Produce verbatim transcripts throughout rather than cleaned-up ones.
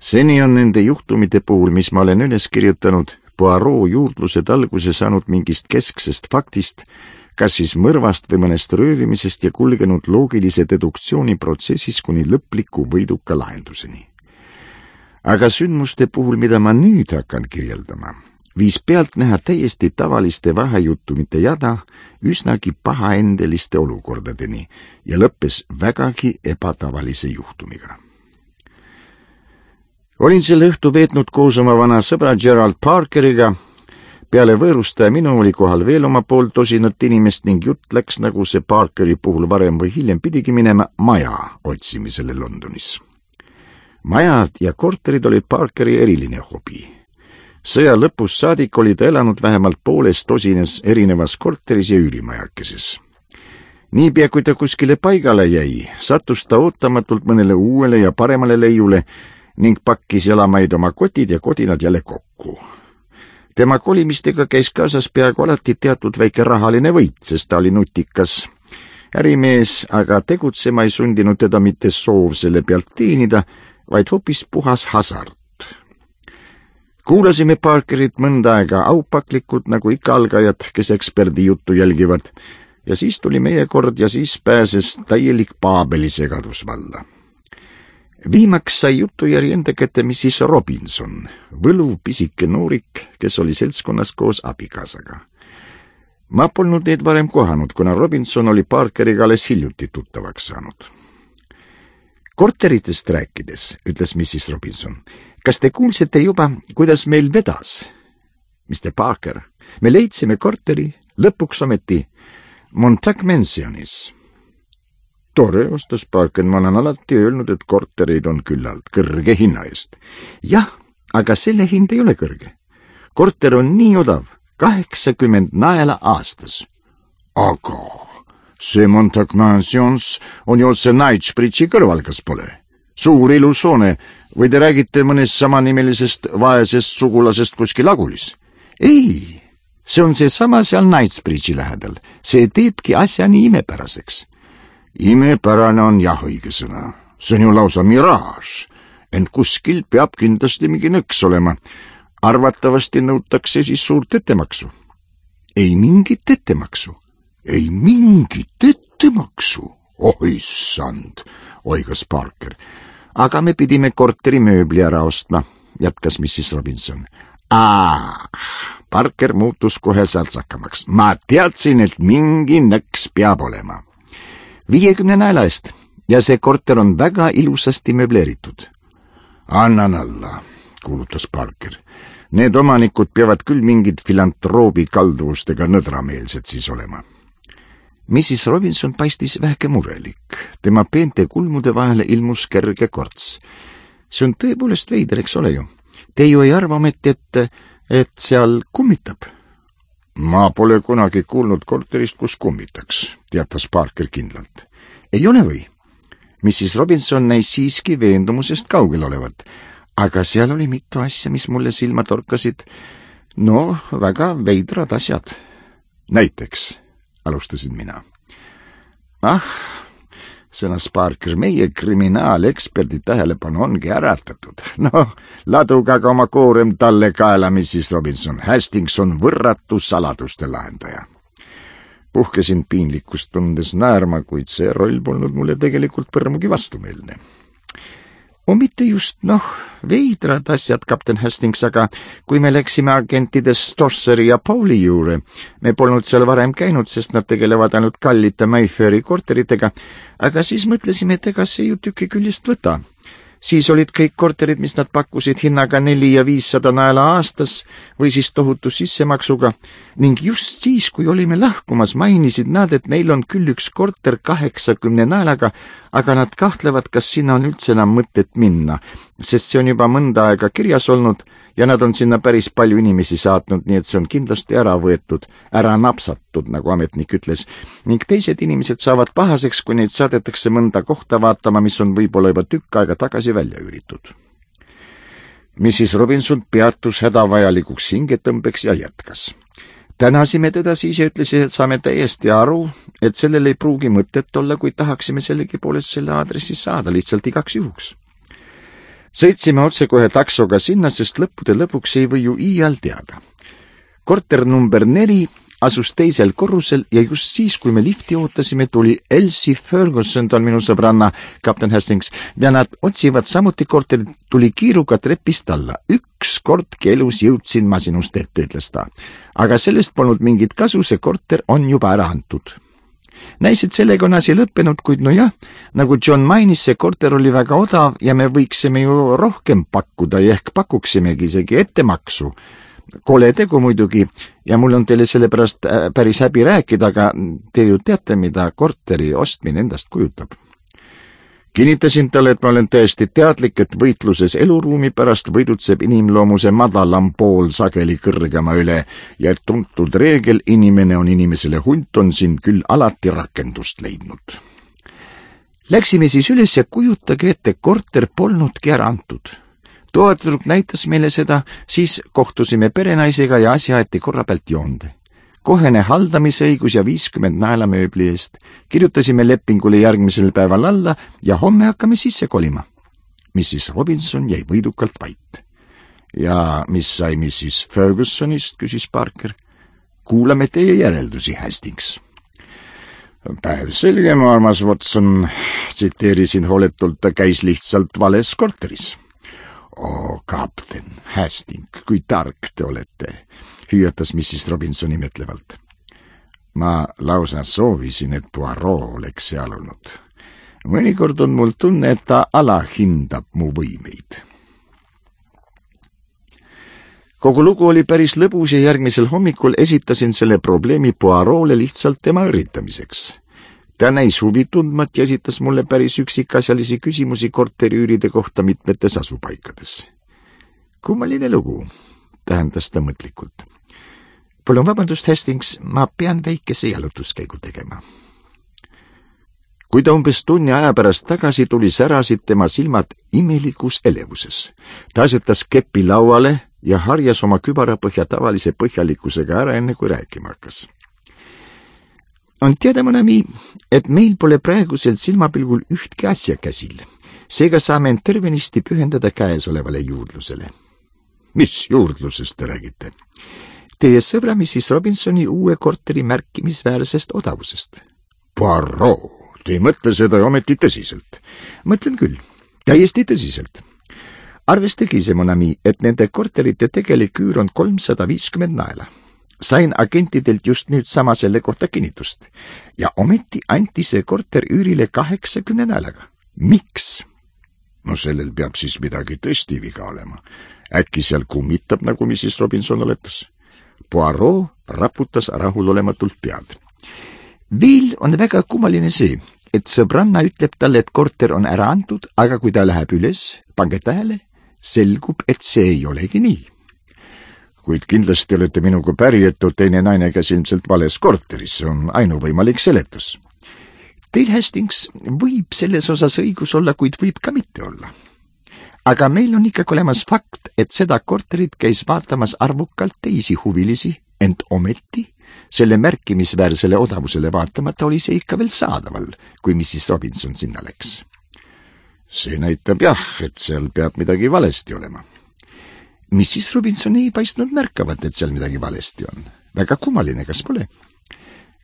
Seni on nende juhtumite puhul, mis ma olen üles kirjutanud, Poirot juurdlused alguse saanud mingist kesksest faktist, kas siis mõrvast või mõnest röövimisest ja kulgenud loogilise deduktsiooni protsessis kuni lõpliku võiduka lahenduseni. Aga sündmuste puhul, mida ma nüüd hakkan kirjeldama, viis pealt näha täiesti tavaliste vahejuhtumite jada üsnagi pahaendeliste olukordadeni ja lõppes vägagi ebatavalise juhtumiga. Olin selle õhtu veetnud koos oma vana sõbra Gerald Parkeriga. Peale võõrustaja minu oli kohal veel oma pool tosinat inimest ning jutt läks, nagu see Parkeri puhul varem või hiljem pidigi minema, maja otsimisele Londonis. Majad ja korterid olid Parkeri eriline hobi. Sõja lõpus saadik oli ta elanud vähemalt pooles tosines erinevas korteris ja üürimajakeses. Niipea kui ta kuskile paigale jäi, sattus ta ootamatult mõnele uuele ja paremale leiule ning pakkis jalamaid oma kotid ja kodinad jälle kokku. Tema kolimistega käis kaasas peaaegu alati teatud väike rahaline võit, sest ta oli nutikas ärimees, aga tegutsema ei sundinud teda mitte soov selle pealt teenida, vaid hoopis puhas hasart. Kuulasime Parkerit mõnda aega aupaklikult, nagu ikka algajad, kes eksperdi juttu jälgivad, ja siis tuli meie kord ja siis pääses täielik Paabeli segadus valla. Viimaks sai juttu järgi enda kätte missis Robinson, võluv pisike noorik, kes oli seltskonnas koos abikaasaga. Ma polnud neid varem kohanud, kuna Robinson oli Parkeriga alles hiljuti tuttavaks saanud. Korteritest rääkides, ütles missis Robinson, kas te kuulsite juba, kuidas meil vedas? mister Parker, me leidsime korteri lõpuks ometi Montague Mansionis. Tore, ostas Parker, ma olen alati öelnud, et korterid on küllalt kõrge hinna eest. Jah, aga selle hind ei ole kõrge. Korter on nii odav, kaheksakümmend naela aastas. Aga see Montague Mansions on ju otse Knightsbridge'i kõrval, kas pole? Suur ilus hoone, või te räägite mõnest samanimelisest vaesest sugulasest kuskil Agulis? Ei, see on see sama seal Knightsbridge'i lähedal. See teebki asja nii imepäraseks. Imepärane on jah õige sõna. See on ju lausa miraaž. Ent kuskil peab kindlasti mingi nõks olema. Arvatavasti nõutakse siis suurt ettemaksu. Ei mingit ettemaksu. Ei mingit ettemaksu. Oh issand, oigas Parker. Aga me pidime korteri mööbli ära ostma, jätkas missis Robinson. Aa, Parker muutus kohe särtsakamaks. Ma teadsin, et mingi nõks peab olema. viiekümne naela eest ja see korter on väga ilusasti möbleeritud. Annan alla, kuulutas Parker. Need omanikud peavad küll mingid filantroobi kalduvustega nõdrameelsed siis olema. missis Robinson paistis vähke murelik. Tema peente kulmude vahele ilmus kerge korts. See on tõepoolest veider, eks ole ju. Te ju ei arva ometi, et, et seal kummitab? Ma pole kunagi kuulnud korterist, kus kummitaks, teatas Parker kindlalt. Ei ole või? missis Robinson näis siiski veendumusest kaugel olevat, aga seal oli mitu asja, mis mulle silma torkasid. No, väga veidrad asjad. Näiteks, alustasin mina. Ah, sõnas Parker, meie kriminaalekspordi tähelepanu ongi äratatud. No, laduga ka oma koorem talle kaela, missis Robinson. Hastings on võrratu saladuste lahendaja. Puhkesin piinlikkust tundes naerma, kuid see roll polnud mulle tegelikult põrmugi vastumeelne. O mitte just, noh, veidrad asjad, kapten Hastings, aga kui me läksime agentide Stosseri ja Pauli juurde, me polnud seal varem käinud, sest nad tegelevad ainult kallite Mayfairi korteritega, aga siis mõtlesime, et ega see ju tüki küljest võta. Siis olid kõik korterid, mis nad pakkusid hinnaga neli ja viissada naela aastas või siis tohutu sissemaksuga ning just siis, kui olime lahkumas, mainisid nad, et neil on küll üks korter kaheksakümne naelaga, aga nad kahtlevad, kas sinna on üldse enam mõtet minna, sest see on juba mõnda aega kirjas olnud ja nad on sinna päris palju inimesi saatnud, nii et see on kindlasti ära võetud, ära napsatud, nagu ametnik ütles, ning teised inimesed saavad pahaseks, kui neid saadetakse mõnda kohta vaatama, mis on võib-olla juba tükk aega tagasi välja üüritud. missis Robinson peatus hädavajalikuks hingetõmbeks ja jätkas. Tänasime teda siis ja ütlesid, et saame täiesti aru, et sellel ei pruugi mõtet olla, kui tahaksime sellegipoolest selle aadressi saada lihtsalt igaks juhuks. Sõitsime otsekohe taksoga sinna, sest lõppude lõpuks ei või ju iial teada. Korter number neli asus teisel korrusel ja just siis, kui me lifti ootasime, tuli Elsie Ferguson, ta on minu sõbranna, kapten Hastings, ja nad otsivad samuti korterit, tuli kiiruga trepist alla. Üks kordki elus jõudsin ma sinust ette, ütles ta. Aga sellest polnud mingit kasu, see korter on juba ära antud. Näis, et sellega on asi lõppenud, kuid no jah, nagu John mainis, see korter oli väga odav ja me võiksime ju rohkem pakkuda ja ehk pakuksimegi isegi ettemaksu. Kole tegu muidugi ja mul on teile sellepärast päris häbi rääkida, aga te ju teate, mida korteri ostmine endast kujutab. Kinnitasin talle, et ma olen täiesti teadlik, et võitluses eluruumi pärast võidutseb inimloomuse madalam pool sageli kõrgema üle ja et tuntud reegel inimene on inimesele hunt on siin küll alati rakendust leidnud. Läksime siis üles ja kujutage ette, korter polnudki ära antud. Toetudruk näitas meile seda, siis kohtusime perenaisega ja asja aeti korra pealt joonde. Kohene haldamisõigus ja viiskümmend naela mööbli eest. Kirjutasime lepingule järgmisel päeval alla ja homme hakkame sisse kolima. missis Robinson jäi võidukalt vait. Ja mis sai missis Fergusonist, küsis Parker. Kuulame teie järeldusi, Hastings. Päev selge, mu armas Watson, tsiteerisin hooletult, ta käis lihtsalt vales korteris. O, kapten Hastings, kui tark te olete, hüüatas missis Robinson imetlevalt. Ma lausa soovisin, et Poirot oleks seal olnud. Mõnikord on mul tunne, et ta alahindab mu võimeid. Kogu lugu oli päris lõbus ja järgmisel hommikul esitasin selle probleemi Poirot'le lihtsalt tema üritamiseks. Ta näis huvi tundmat ja esitas mulle päris üksikasjalisi küsimusi korteriüüride kohta mitmetes asupaikades. Kummaline lugu, tähendas ta mõtlikult. Palun vabandust, Hastings, ma pean väikese jalutuskäigu tegema. Kui ta umbes tunni aja pärast tagasi tuli, särasid tema silmad imelikus elevuses. Ta asetas kepi lauale ja harjas oma kübarapõhja tavalise põhjalikkusega ära, enne kui rääkima hakkas. On teada, Monami, et meil pole praegusel silmapilgul ühtki asja käsil. Seega saame end tervenisti pühendada käesolevale juurdlusele. Mis juurdlusest te räägite? Teie sõbra missis Robinsoni uue korteri märkimisväärsest odavusest. Poirot, te ei mõtle seda ometi tõsiselt? Mõtlen küll, täiesti tõsiselt. Arvestage ise, Monami, et nende korterite tegelik üür on kolmsada viiskümmend naela. Sain agentidelt just nüüd sama selle kohta kinnitust. Ja ometi anti see korter üürile kaheksakümne naelaga. Miks? No sellel peab siis midagi tõesti viga olema. Äkki seal kummitab, nagu missis Robinson oletas. Poirot raputas rahulolematult pead. Veel on väga kummaline see, et sõbranna ütleb talle, et korter on ära antud, aga kui ta läheb üles, pange tähele, selgub, et see ei olegi nii. Kuid kindlasti olete minuga päri, et teine naine käis ilmselt vales korteris, see on ainuvõimalik seletus. Teil, Hastings, võib selles osas õigus olla, kuid võib ka mitte olla. Aga meil on ikkagi olemas fakt, et seda korterit käis vaatamas arvukalt teisi huvilisi, ent ometi selle märkimisväärsele odavusele vaatamata oli see ikka veel saadaval, kui missis Robinson sinna läks. See näitab jah, et seal peab midagi valesti olema. missis Robinson ei paistnud märkavat, et seal midagi valesti on. Väga kummaline, kas pole?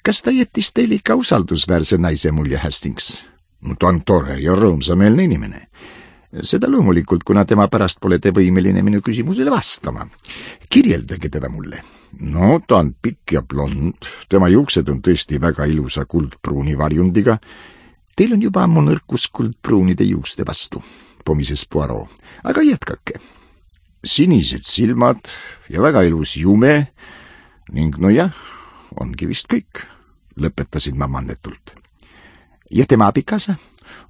Kas ta jättis teile ikka usaldusväärse naise mulje, Hastings? No, ta on tore ja rõõmsameelne inimene. Seda loomulikult, kuna tema pärast pole te võimeline minu küsimusele vastama. Kirjeldage teda mulle. No, ta on pikk ja blond. Tema juuksed on tõesti väga ilusa kuldpruuni varjundiga. Teil on juba ammu nõrkus kuldpruunide juuste vastu, pomises Poirot. Aga jätkake. Sinised silmad ja väga ilus jume ning no jah, ongi vist kõik, lõpetasin ma mannetult. Ja tema abikaasa?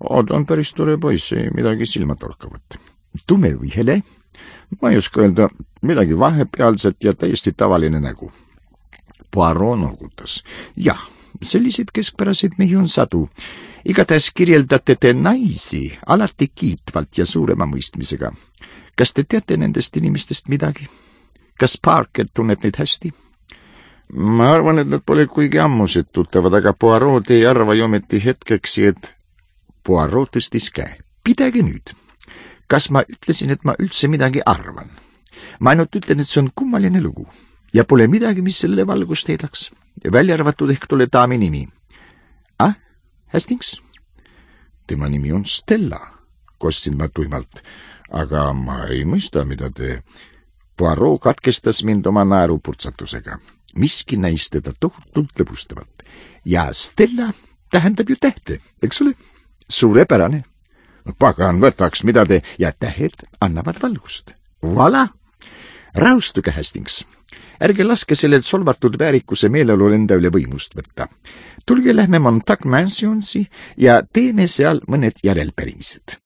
O, ta on päris tore poiss, ei midagi silmatorkavat. Tume või hele? Ma ei oska öelda, midagi vahepealset ja täiesti tavaline nägu. Poirot noogutas. Jah, selliseid keskpäraseid mehi on sadu. Igatahes kirjeldate te naisi alati kiitvalt ja suurema mõistmisega. Kas te teate nendest inimestest midagi? Kas Parker tunneb neid hästi? Ma arvan, et nad pole kuigi ammused tuttavad, aga Poirot ei arva ju ometi hetkeks, et Poirot tõstis käe. Pidage nüüd. kas ma ütlesin, et ma üldse midagi arvan? Ma ainult ütlen, et see on kummaline lugu ja pole midagi, mis sellele valgust heidaks. Välja arvatud ehk tolle daami nimi. Ah, Hastings? Tema nimi on Stella, kostsin ma tuimalt. Aga ma ei mõista, mida te... Poirot katkestas mind oma naerupurtsatusega. Miski näis teda tohutult lõbustavat. Ja Stella tähendab ju tähte, eks ole? Suurepärane. Pagan võtaks, mida te... Ja tähed annavad valgust. Voilà! Rahustuge, Hastings. Ärge laske sellel solvatud väärikuse meeleolul enda üle võimust võtta. Tulge lähme Montague Mansionsi ja teeme seal mõned järelpärimised.